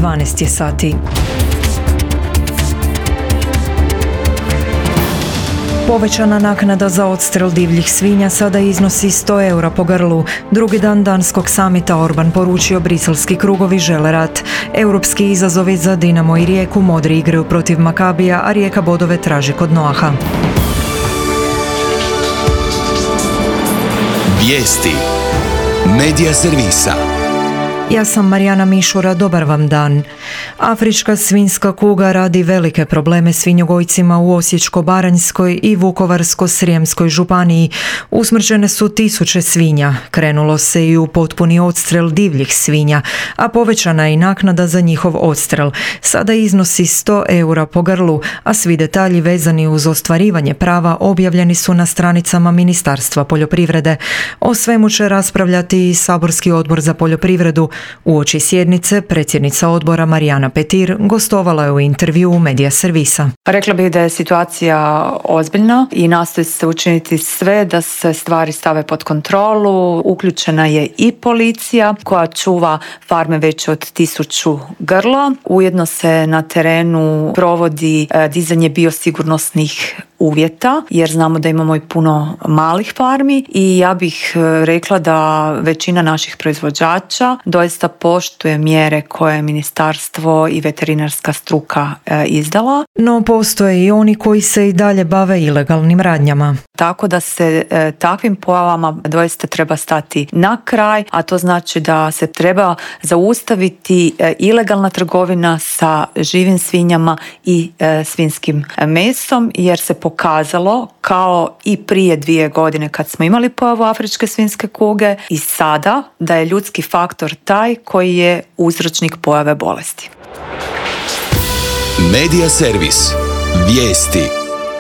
12 je sati. Povećana naknada za odstrel divljih svinja sada iznosi 100 eura po grlu. Drugi dan danskog samita Orban poručio briselski krugovi žele rat. Europski izazovi za Dinamo i Rijeku, modri igraju protiv Makabija, a Rijeka bodove traži kod Noaha. Vijesti Medija servisa. Ja sam Marijana Mišura, dobar vam dan. Afrička svinjska kuga radi velike probleme svinjogojcima u Osječko-baranjskoj i Vukovarsko-srijemskoj županiji. Usmrćene su tisuće svinja, krenulo se i u potpuni odstrel divljih svinja, a povećana je i naknada za njihov odstrel. Sada iznosi 100 eura po grlu, a svi detalji vezani uz ostvarivanje prava objavljeni su na stranicama Ministarstva poljoprivrede. O svemu će raspravljati i Saborski odbor za poljoprivredu. Uoči sjednice predsjednica odbora Marijana Petir gostovala je u intervjuu Medija servisa. Rekla bih da je situacija ozbiljna i nastoji se učiniti sve da se stvari stave pod kontrolu. Uključena je i policija koja čuva farme veće od 1000 grla. Ujedno se na terenu provodi dizanje biosigurnosnih uvjeta, jer znamo da imamo i puno malih farmi i ja bih rekla da većina naših proizvođača doista poštuje mjere koje je ministarstvo i veterinarska struka izdala. No postoje i oni koji se i dalje bave ilegalnim radnjama. Tako da se takvim pojavama doista treba stati na kraj, a to znači da se treba zaustaviti ilegalna trgovina sa živim svinjama i svinjskim mesom, jer se pokazalo kao i prije 2 godine kad smo imali pojavu afričke svinjske kuge i sada da je ljudski faktor taj koji je uzročnik pojave bolesti. Medija servis. Vijesti.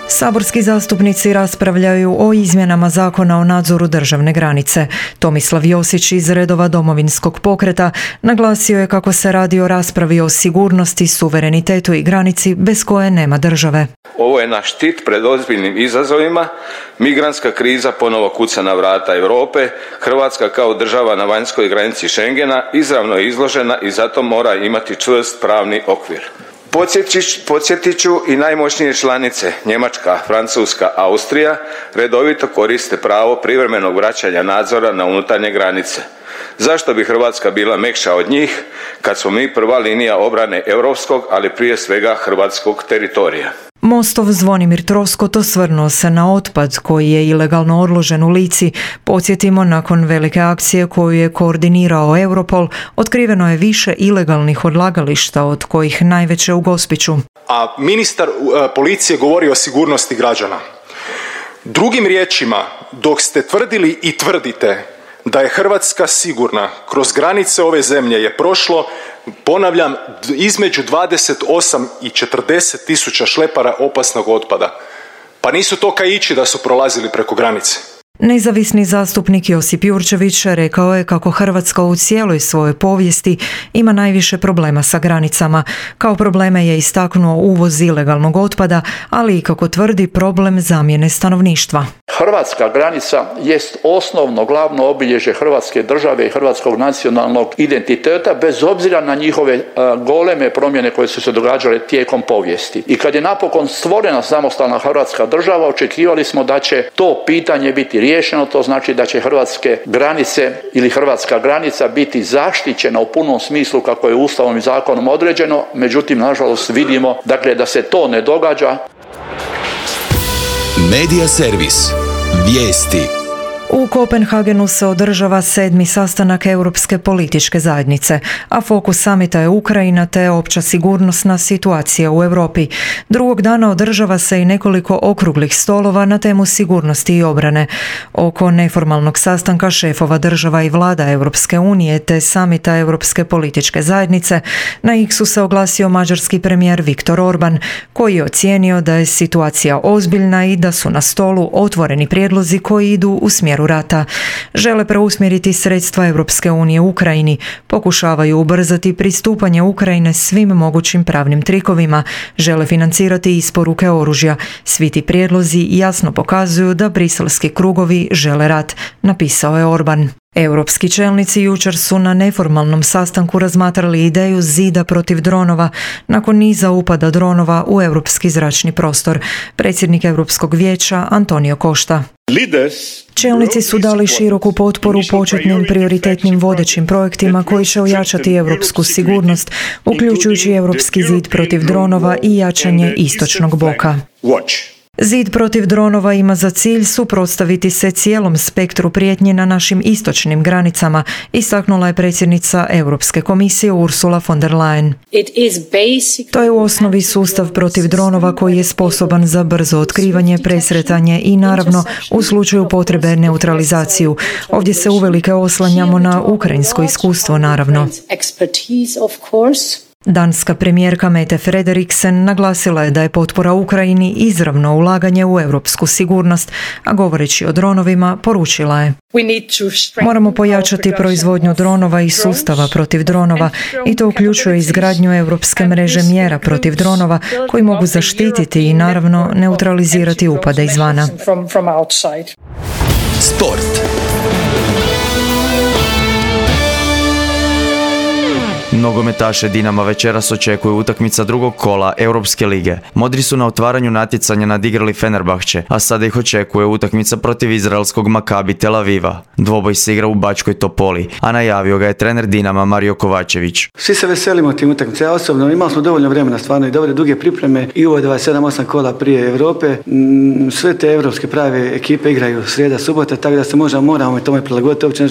Saborski zastupnici raspravljaju o izmjenama Zakona o nadzoru državne granice. Tomislav Josić iz redova Domovinskog pokreta naglasio je kako se radi o raspravi o sigurnosti, suverenitetu i granici bez koje nema države. Ovo je naš štit pred ozbiljnim izazovima. Migrantska kriza ponovo kuca na vrata Europe. Hrvatska kao država na vanjskoj granici Schengena izravno je izložena i zato mora imati čvrst pravni okvir. Podsjetit ću i najmoćnije članice, Njemačka, Francuska, Austrija, redovito koriste pravo privremenog vraćanja nadzora na unutarnje granice. Zašto bi Hrvatska bila mekša od njih kad smo mi prva linija obrane europskog, ali prije svega hrvatskog teritorija? Mostov Zvonimir Troskot osvrnuo se na otpad koji je ilegalno odložen u Lici. Podsjetimo, nakon velike akcije koju je koordinirao Europol, otkriveno je više ilegalnih odlagališta, od kojih najveće u Gospiću. A ministar policije govori o sigurnosti građana. Drugim riječima, dok ste tvrdili i tvrdite da je Hrvatska sigurna, kroz granice ove zemlje je prošlo, ponavljam, između 28 i 40 tisuća šlepara opasnog otpada. Pa nisu to kaići da su prolazili preko granice. Nezavisni zastupnik Josip Jurčević rekao je kako Hrvatska u cijeloj svojoj povijesti ima najviše problema sa granicama. Kao probleme je istaknuo uvoz ilegalnog otpada, ali i kako tvrdi problem zamjene stanovništva. Hrvatska granica jest osnovno glavno obilježje Hrvatske države i hrvatskog nacionalnog identiteta, bez obzira na njihove goleme promjene koje su se događale tijekom povijesti. I kad je napokon stvorena samostalna Hrvatska država, očekivali smo da će to pitanje biti riješeno, to znači da će hrvatske granice ili hrvatska granica biti zaštićena u punom smislu kako je Ustavom i zakonom određeno, međutim, nažalost, vidimo da se to ne događa. Medija servis. Vijesti. U Kopenhagenu se održava 7. sastanak Europske političke zajednice, a fokus samita je Ukrajina te opća sigurnosna situacija u Europi. Drugog dana održava se i nekoliko okruglih stolova na temu sigurnosti i obrane. Oko neformalnog sastanka šefova država i vlada Europske unije te samita Europske političke zajednice na X-u se oglasio mađarski premijer Viktor Orban, koji je ocijenio da je situacija ozbiljna i da su na stolu otvoreni prijedlozi koji idu u smjeru rata. Žele preusmjeriti sredstva Europske unije u Ukrajini, pokušavaju ubrzati pristupanje Ukrajine svim mogućim pravnim trikovima, žele financirati isporuke oružja. Svi ti prijedlozi jasno pokazuju da briselski krugovi žele rat, napisao je Orban. Europski čelnici jučer su na neformalnom sastanku razmatrali ideju zida protiv dronova nakon niza upada dronova u europski zračni prostor. Predsjednik Europskog vijeća Antonio Costa. Čelnici su dali široku potporu početnim prioritetnim vodećim projektima koji će ojačati europsku sigurnost, uključujući europski zid protiv dronova i jačanje istočnog bloka. Zid protiv dronova ima za cilj suprotstaviti se cijelom spektru prijetnji na našim istočnim granicama, istaknula je predsjednica Europske komisije Ursula von der Leyen. To je u osnovi sustav protiv dronova koji je sposoban za brzo otkrivanje, presretanje i naravno u slučaju potrebe neutralizaciju. Ovdje se uvelike oslanjamo na ukrajinsko iskustvo, naravno. Danska premijerka Mette Frederiksen naglasila je da je potpora Ukrajini izravno ulaganje u europsku sigurnost, a govoreći o dronovima poručila je: moramo pojačati proizvodnju dronova i sustava protiv dronova i to uključuje izgradnju europske mreže mjera protiv dronova koji mogu zaštititi i naravno neutralizirati upade izvana. Sport. Nogometaše Dinama večeras očekuje utakmica drugog kola Europske lige. Modri su na otvaranju natjecanja nadigrali Fenerbahče, a sada ih očekuje utakmica protiv izraelskog Makabi Tel Aviva. Dvoboj se igra u Bačkoj Topoli, a najavio ga je trener Dinama Mario Kovačević. Svi se veselimo tim utakmica. Ja osobno imali smo dovoljno vremena, stvarno i dobre duge pripreme i ovo 27-8 kola prije Europe. Sve te europske prave ekipe igraju srijeda, subota, tako da se moramo tome prilagoditi. Uopće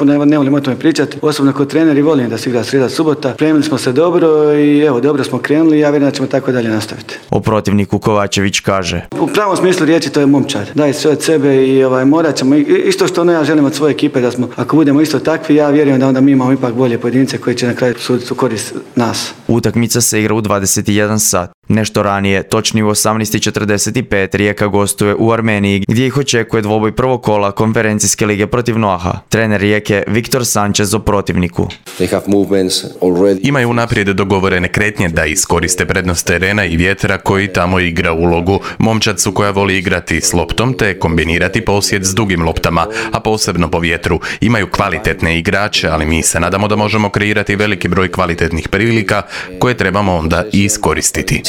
ne volim o tome pričati. Osobno kao trener i volim da se igra srijeda, subota. Premili smo se dobro i evo, dobro smo krenuli i ja vjerujem da ćemo tako dalje nastaviti. O protivniku Kovačević kaže: u pravom smislu riječi to je momčad. Daje sve od sebe i morat ćemo, isto što ja želim od svoje ekipe, da smo, ako budemo isto takvi, ja vjerujem da onda mi imamo ipak bolje pojedince koji će na kraju suditi u korist nas. Utakmica se igra u 21 sat. Nešto ranije, točnije u 18:45, Rijeka gostuje u Armeniji gdje ih očekuje dvoboj prvog kola konferencijske lige protiv Noaha. Trener Rijeke Viktor Sanchez o protivniku: imaju unaprijed dogovorene kretnje da iskoriste prednost terena i vjetra koji tamo igra ulogu. Momčad su koja voli igrati s loptom te kombinirati posjed s dugim loptama, a posebno po vjetru. Imaju kvalitetne igrače, ali mi se nadamo da možemo kreirati veliki broj kvalitetnih prilika koje trebamo onda i iskoristiti.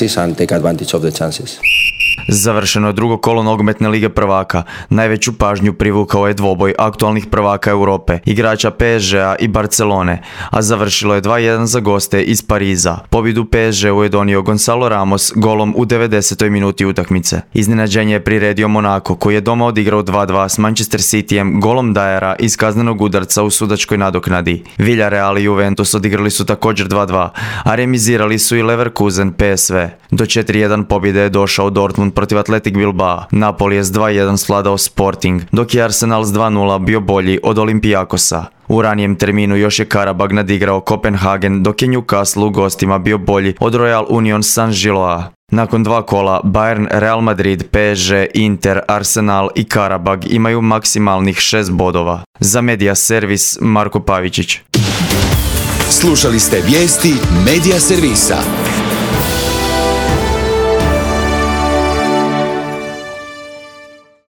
Završeno je drugo kolo nogometne lige prvaka. Najveću pažnju privukao je dvoboj aktualnih prvaka Europe, igrača PSG-a i Barcelone, a završilo je 2-1 za goste iz Pariza. Pobjedu PSG-u je donio Gonzalo Ramos golom u 90. minuti utakmice. Iznenađenje je priredio Monaco, koji je doma odigrao 2-2 s Manchester Cityjem golom Dajera iz kaznenog udarca u sudačkoj nadoknadi. Villarreal i Juventus odigrali su također 2-2, a remizirali su i Leverkusen PSV. Do 4-1 pobjede je došao Dortmund protiv Athletic Bilbao. Napoli je s 2-1 svladao Sporting, dok je Arsenal s 2-0 bio bolji od Olympiakosa. U ranijem terminu još je Karabag nadigrao Kopenhagen, dok je Newcastle u gostima bio bolji od Royal Union Saint-Gilloise. Nakon dva kola, Bayern, Real Madrid, PSG, Inter, Arsenal i Karabag imaju maksimalnih 6 bodova. Za Media Servis, Marko Pavičić. Slušali ste vijesti Media Servisa.